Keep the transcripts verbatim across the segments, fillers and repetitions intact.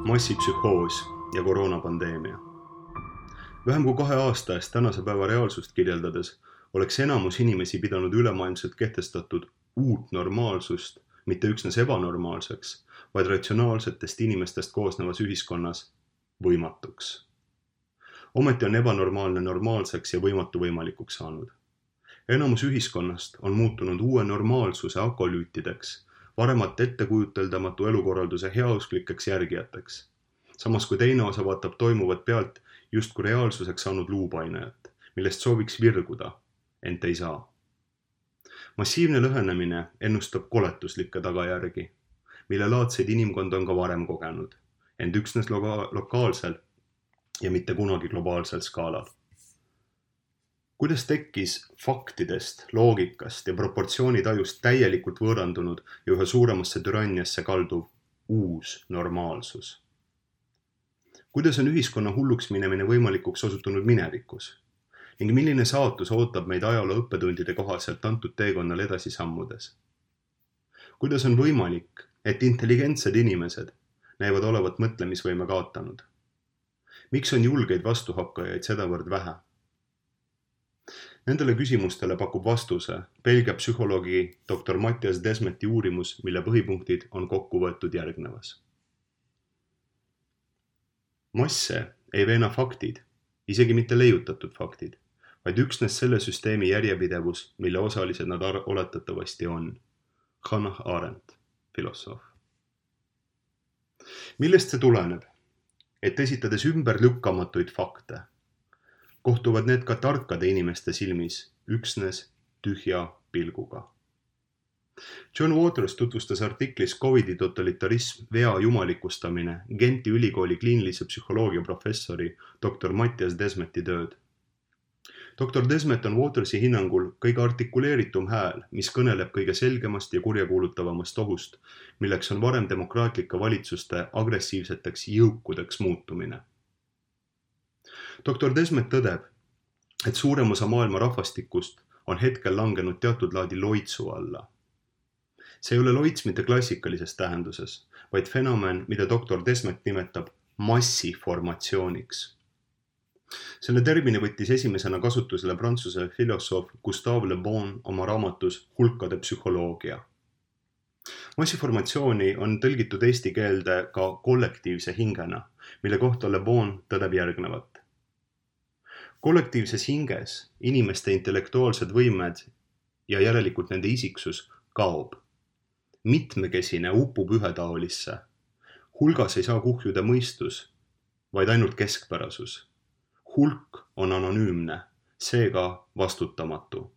massipsühhoos ja koroonapandeemia. Vähem kui kahe aasta eest tänase päeva reaalsust kirjeldades oleks enamus inimesi pidanud ülemaailmselt kehtestatud uut normaalsust mitte üksnes ebanormaalseks, vaid ratsionaalsetest inimestest koosnevas ühiskonnas võimatuks. Ometi on ebanormaalne normaalseks ja võimatu võimalikuks saanud. Enamus ühiskonnast on muutunud uue normaalsuse akolüütideks, varemat ettekujuteldamatu elukorralduse heausklikeks järgijateks. Samas kui teine osa vaatab toimuvat pealt justkui reaalsuseks saanud luupainajat, millest sooviks virguda, ent ei saa. Massiivne lõhenemine ennustab koletuslikke tagajärgi, mille laadseid inimkond on ka varem kogenud, ent üksnes loka- lokaalsel ja mitte kunagi globaalsel skaalal. Kuidas tekkis faktidest, loogikast ja proportsioonitajust täielikult võõrandunud ja üha suuremasse türanniasse kalduv uus normaalsus? Kuidas on ühiskonna hulluks minemine võimalikuks osutunud minevikus? Ning milline saatus ootab meid ajaloo õppetundide kohaselt antud teekonnal edasi sammudes? Kuidas on võimalik, et intelligentsed inimesed näivad olevat mõtlemisvõime kaotanud? Miks on julgeid vastuhakkajaid sedavõrd vähe? Nendele küsimustele pakub vastuse Belgia psühholoogi doktor Matthias Desmeti uurimus, mille põhipunktid on kokku võetud järgnevas. Masse ei veena faktid, isegi mitte leiutatud faktid, vaid üksnes selle süsteemi järjepidevus, mille osalised nad oletatavasti on. Hannah Arendt, filosoof. Millest see tuleneb? Et esitades ümberlükkamatuid fakte, kohtuvad need ka tarkade inimeste silmis üksnes tühja pilguga. John Waters tutvustas artiklis Covidi totalitarism, vea jumalikustamine Genti ülikooli kliinilise psühholoogia professori doktor Matthias Desmeti tööd. doktor Desmet on Watersi hinnangul kõige artikuleeritum hääl, mis kõneleb kõige selgemast ja kurjakuulutavamast ohust, milleks on varem demokraatlike valitsuste agressiivseteks jõukudeks muutumine. doktor Desmet tõdeb, et suurem osa maailma rahvastikust on hetkel langenud teatud laadi loitsu alla. See ei ole loits mitte klassikalises tähenduses, vaid fenomen, mida doktor Desmet nimetab massiformatsiooniks. Selle termini võttis esimesena kasutusele prantsuse filosoof Gustave Le Bon oma raamatus Hulkade psühholoogia. Massiformatsiooni on tõlgitud eesti keelde ka kollektiivse hingena, mille kohta Le Bon tõdeb järgnevat. Kollektiivses hinges inimeste intellektuaalsed võimed ja järelikult nende isiksus kaob. Mitmekesine upub ühetaolisse. Hulgas ei saa kuhjuda mõistus, vaid ainult keskpärasus. Hulk on anonüümne, seega vastutamatu.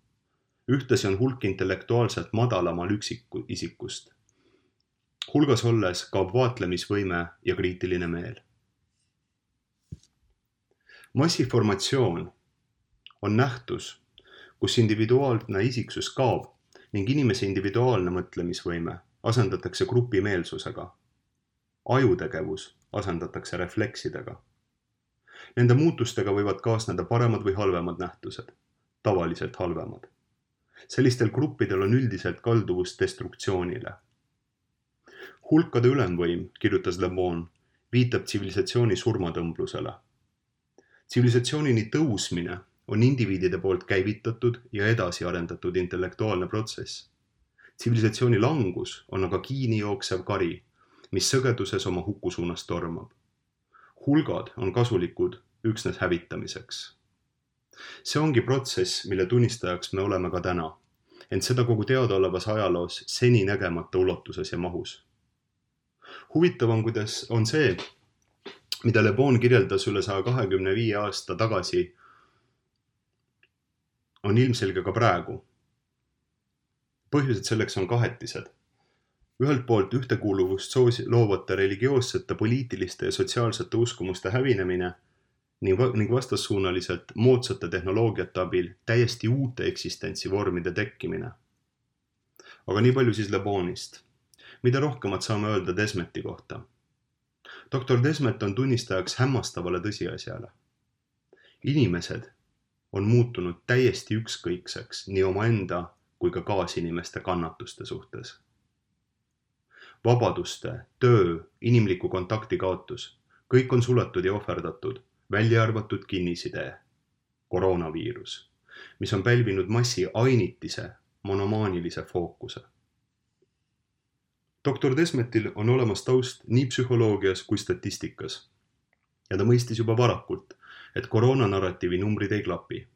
Ühtlasi on hulk intellektuaalselt madalamal üksiku isikust. Hulgas olles kaob vaatlemisvõime ja kriitiline meel. Massiformatsioon on nähtus, kus individuaalne isiksus kaob ning inimese individuaalne mõtlemisvõime asendatakse grupimeelsusega. Ajutegevus asendatakse refleksidega. Nende muutustega võivad kaasneda paremad või halvemad nähtused, tavaliselt halvemad. Sellistel gruppidel on üldiselt kalduvus destruktsioonile. Hulkade ülemvõim, kirjutas Le Bon, viitab tsivilisatsiooni surmatõmblusele. Tsivilisatsioonini tõusmine on indiviidide poolt käivitatud ja edasi arendatud intellektuaalne protsess. Tsivilisatsiooni langus on aga kiini jooksev kari, mis sõgeduses oma huku suunas tormab. Hulgad on kasulikud üksnes hävitamiseks. See ongi protsess, mille tunnistajaks me oleme ka täna, ent seda kogu teadaolevas ajaloos seni nägemata ulatuses ja mahus. Huvitav on, kuidas on see, mida Le Bon kirjeldas üle saja kahekümne viie aasta tagasi, on ilmselge ka praegu. Põhjused selleks on kahetised. Ühelt poolt ühtekuuluvust loovate religioossete, poliitiliste ja sotsiaalsete uskumuste hävinemine ning vastassuunaliselt moodsate tehnoloogiate abil täiesti uute eksistentsivormide tekkimine. Aga nii palju siis Le Bonist. Mida rohkemat saame öelda Desmeti kohta? doktor Desmet on tunnistajaks hämmastavale tõsiasjale. Inimesed on muutunud täiesti ükskõikseks nii omaenda kui ka kaasinimeste kannatuste suhtes. vabaduste, töö, inimliku kontakti kaotus. Kõik on suletud ja ohverdatud, välja arvatud kinnisidee, koroonaviirus, mis on pälvinud massi ainitise, monomaanilise fookuse. doktor Desmetil on olemas taust nii psühholoogias kui statistikas ja ta mõistis juba varakult, et koroonanarratiivi numbrid ei klapi.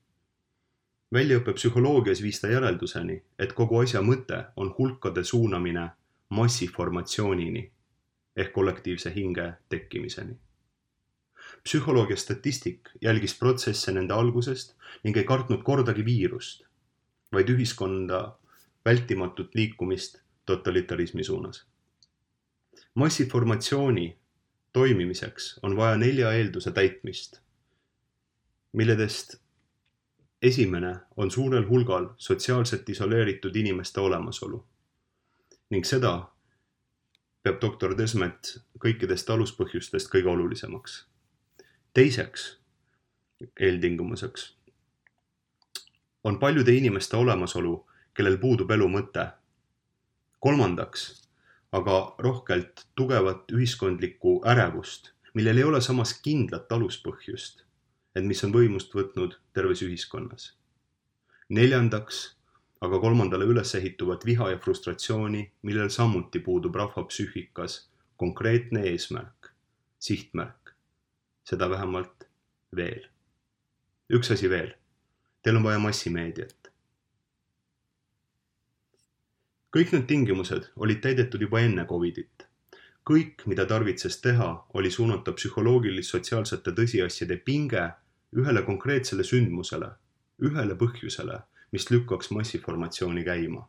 Väljaõppe psühholoogias viis ta järelduseni, et kogu asja mõte on hulkade suunamine massiformatsioonini ehk kollektiivse hinge tekkimiseni. Psühholoogia statistik jälgis protsesse nende algusest ning ei kartnud kordagi viirust, vaid ühiskonda vältimatut liikumist totalitarismi suunas. Massiformatsiooni toimimiseks on vaja nelja eelduse täitmist, milledest esimene on suurel hulgal sotsiaalselt isoleeritud inimeste olemasolu ning seda peab doktor Desmet kõikidest aluspõhjustest kõige olulisemaks. Teiseks eeltingimuseks on paljude inimeste olemasolu, kellel puudub elu mõte. Kolmandaks aga rohkelt tugevat ühiskondlikku ärevust, millel ei ole samas kindlat aluspõhjust, et mis on võimust võtnud terves ühiskonnas. Neljandaks aga kolmandale üles ehituvat viha ja frustratsiooni, millel samuti puudub rahva psüühikas konkreetne eesmärk, sihtmärk, seda vähemalt veel. Üks asi veel, teil on vaja massimeediat. Kõik need tingimused olid täidetud juba enne Covidit. Kõik, mida tarvitses teha, oli suunata psühholoogilis-sotsiaalsete tõsiasjade pinge ühele konkreetsele sündmusele, ühele põhjusele, mis lükkaks massiformatsiooni käima.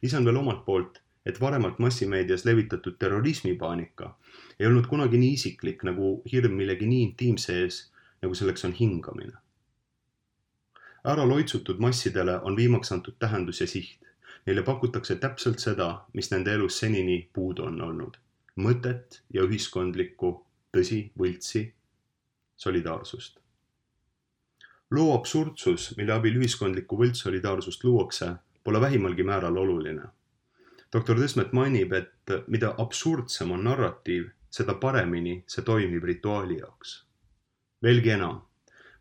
Lisan veel omalt poolt, et varemalt massimeedias levitatud terrorismipaanika ei olnud kunagi nii isiklik nagu hirm millegi nii intiimse ees, nagu selleks on hingamine. Ära loitsutud massidele on viimaks antud tähendus ja siht. Neile pakutakse täpselt seda, mis nende elus senini puudu on olnud. Mõtet ja ühiskondlikku, tõsi, võltsi, solidaarsust. Loo absurdsus, mille abil ühiskondlikku võltsolidaarsust luuakse, pole vähimalgi määral oluline. doktor Desmet mainib, et mida absurdsem on narratiiv, seda paremini see toimib rituaali jaoks. Veelgi enam,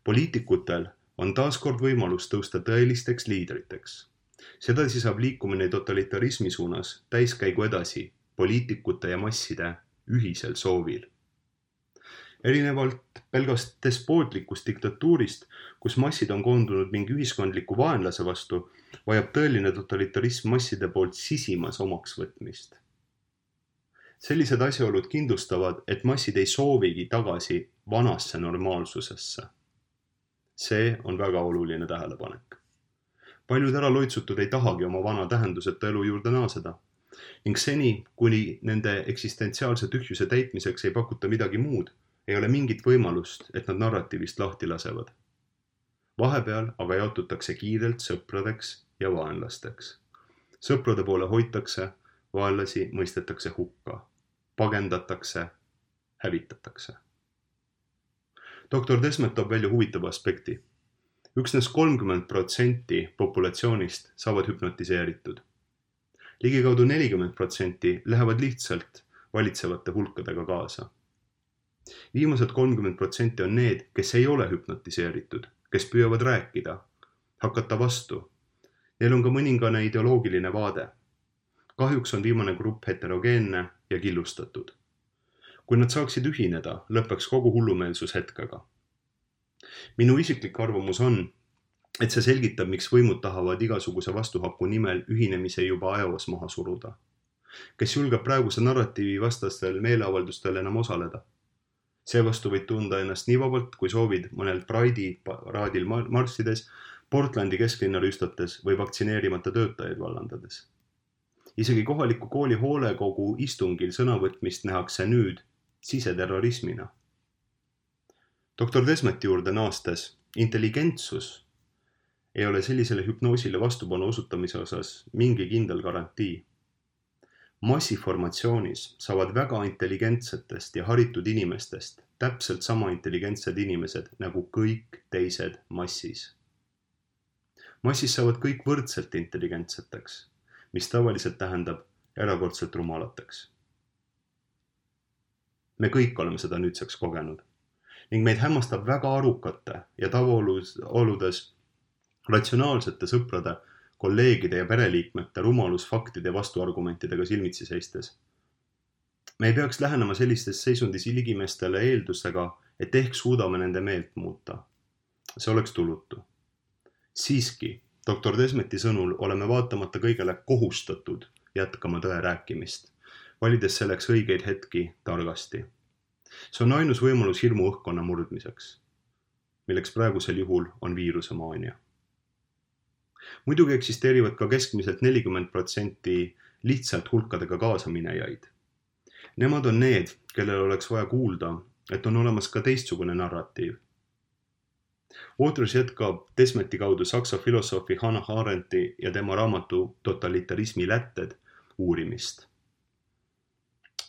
poliitikutel on taaskord võimalus tõusta tõelisteks liidriteks. Sedasi saab liikumine totalitarismi suunas täiskäigu edasi poliitikute ja masside ühisel soovil. Erinevalt pelgast despootlikust diktatuurist, kus massid on koondunud mingi ühiskondliku vaenlase vastu, vajab tõeline totalitarism masside poolt sisimas omaks võtmist. Sellised asjaolud kindlustavad, et massid ei soovigi tagasi vanasse normaalsusesse. See on väga oluline tähelepanek. Paljud ära loitsutud ei tahagi oma vana tähenduseta elu juurde naaseda ning seni, kuni nende eksistentsiaalse tühjuse täitmiseks ei pakuta midagi muud, ei ole mingit võimalust, et nad narratiivist lahti lasevad. Vahepeal aga jaotutakse kiirelt sõpradeks ja vaenlasteks. Sõprade poole hoitakse, vaenlasi mõistetakse hukka, pagendatakse, hävitatakse. doktor Desmet toob välja huvitava aspekti. Üksnes kolmkümmend protsenti populatsioonist saavad hüpnotiseeritud. Ligikaudu nelikümmend protsenti lähevad lihtsalt valitsevate hulkadega kaasa. Viimased kolmkümmend protsenti on need, kes ei ole hüpnotiseeritud, kes püüavad rääkida, hakata vastu. Neil on ka mõningane ideoloogiline vaade. Kahjuks on viimane grupp heterogeenne ja killustatud. Kui nad saaksid ühineda, lõpeks kogu hullumeelsus hetkega. Minu isiklik arvamus on, et see selgitab, miks võimud tahavad igasuguse vastuhaku nimel ühinemise juba ajaos maha suruda. Kes julgeb praeguse narratiivi vastastel meeleavaldustel enam osaleda? Seevastu võid tunda ennast nii vabalt, kui soovid mõnel Pride'i raadil marssides, Portlandi kesklinna rüüstates või vaktsineerimata töötajaid vallandades. Isegi kohaliku kooli hoolekogu istungil sõnavõtmist nähakse nüüd siseterrorismina. doktor Desmeti juurde naastes, intelligentsus ei ole sellisele hüpnoosile vastupanu osutamise osas mingi kindel garantii. Massiformatsioonis saavad väga intelligentsetest ja haritud inimestest täpselt sama intelligentsed inimesed nagu kõik teised massis. Massis saavad kõik võrdselt intelligentseteks, mis tavaliselt tähendab, erakordselt rumalateks. Me kõik oleme seda nüüdseks kogenud ning meid hämmastab väga arukate ja tavaoludes ratsionaalsete sõprade, kolleegide ja pereliikmete rumalus faktide ja vastuargumentidega silmitsi seistes. Me ei peaks lähenema sellistes seisundis ligimestele eeldusega, et ehk suudame nende meelt muuta. See oleks tulutu. Siiski, doktor Desmeti sõnul oleme vaatamata kõigele kohustatud jätkama tõe rääkimist, valides selleks õigeid hetki targasti. See on ainus võimalus hirmu õhkkonna murdmiseks, milleks praegusel juhul on viirusemaania. Muidugi eksisteerivad ka keskmiselt nelikümmend protsenti lihtsalt hulkadega kaasaminejaid. Nemad on need, kellel oleks vaja kuulda, et on olemas ka teistsugune narratiiv. Waters jätkab Desmeti kaudu saksa filosoofi Hannah Arendti ja tema raamatu Totalitarismi lätted uurimist.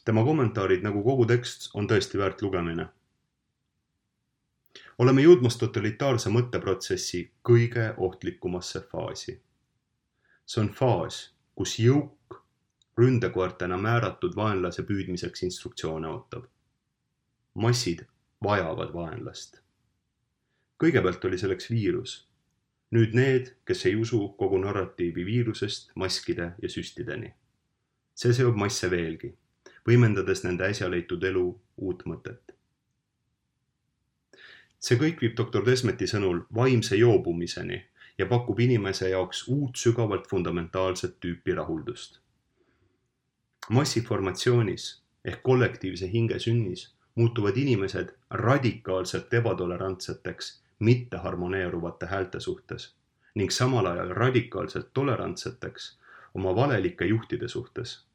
Tema kommentaarid nagu kogu tekst on tõesti väärt lugemine. Oleme jõudmas totalitaarse mõtteprotsessi kõige ohtlikumasse faasi. See on faas, kus jõuk ründekoertena määratud vaenlase püüdmiseks instruktsioone ootab. Massid vajavad vaenlast. Kõigepealt oli selleks viirus. Nüüd need, kes ei usu kogu narratiivi viirusest, maskide ja süstideni. See seob masse veelgi, võimendades nende äsja leitud elu uut mõtet. See kõik viib doktor Desmeti sõnul vaimse joobumiseni ja pakub inimese jaoks uut sügavalt fundamentaalset tüüpi rahuldust. Massiformatsioonis ehk kollektiivse hinge sünnis muutuvad inimesed radikaalselt ebatolerantseteks mitte harmoneeruvate häälte suhtes ning samal ajal radikaalselt tolerantseteks oma valelike juhtide suhtes.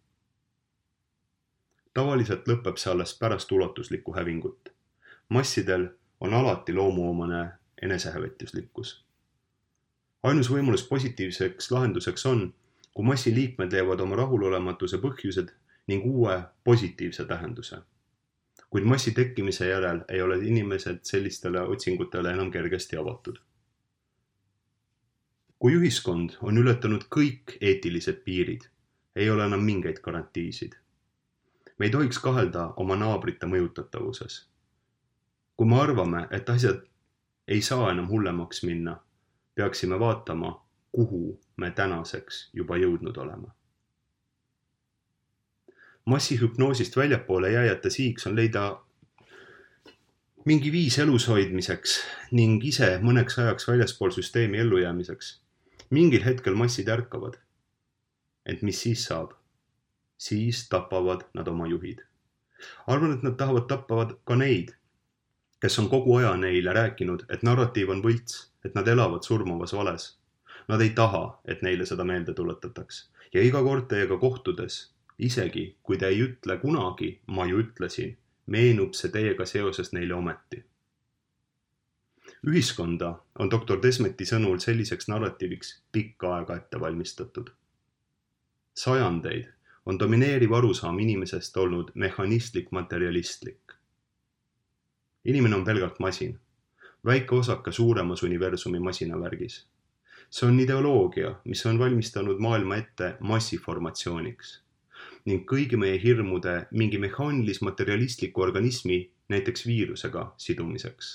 Tavaliselt lõpeb see alles pärast ulatuslikku hävingut. Massidel on alati loomuomane enesehävetuslikkus. Ainus võimalus positiivseks lahenduseks on, kui massi liikmed leiavad oma rahulolematuse põhjused ning uue positiivse tähenduse. Kuid massi tekkimise järel ei ole inimesed sellistele otsingutele enam kergesti avatud. Kui ühiskond on ületanud kõik eetilised piirid, ei ole enam mingeid garantiisid. Me ei tohiks kahelda oma naabrite mõjutatavuses. Kui me arvame, et asjad ei saa enam hullemaks minna, peaksime vaatama, kuhu me tänaseks juba jõudnud oleme. Massihüpnoosist väljapoole jääjate siiks on leida mingi viis elus hoidmiseks ning ise mõneks ajaks väljaspool süsteemi ellujäämiseks. Mingil hetkel massid ärkavad. Ent mis siis saab? Siis tapavad nad oma juhid. Arvan, et nad tahavad tappavad ka neid, kes on kogu aja neile rääkinud, et narratiiv on võlts, et nad elavad surmavas vales. Nad ei taha, et neile seda meelde tuletataks. Ja iga kord teiega kohtudes, isegi kui te ei ütle kunagi, ma ju ütlesin, meenub see teiega seoses neile ometi. Ühiskonda on doktor Desmeti sõnul selliseks narratiiviks pikka aega ette valmistatud. Sajandeid on domineeriv arusaam inimesest olnud mehhanistlik materialistlik. Inimene on pelgalt masin, väike osake suuremas universumi masinavärgis. See on ideoloogia, mis on valmistanud maailma ette massiformatsiooniks ning kõigi meie hirmude mingi mehaanilis-materialistliku organismi, näiteks viirusega sidumiseks.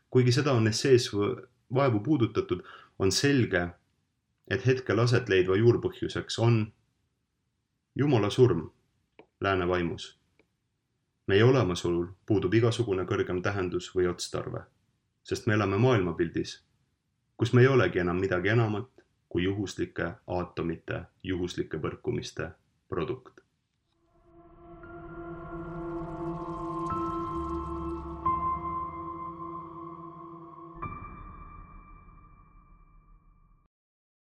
Kuigi seda on essees vaevu puudutatud, on selge, et hetkel aset leidva juurpõhjuseks on Jumala surm lääne vaimus. Meie olemasolul puudub igasugune kõrgem tähendus või otstarve, sest me elame maailmapildis, kus me ei olegi enam midagi enamat kui juhuslike aatomite juhuslike põrkumiste produkt.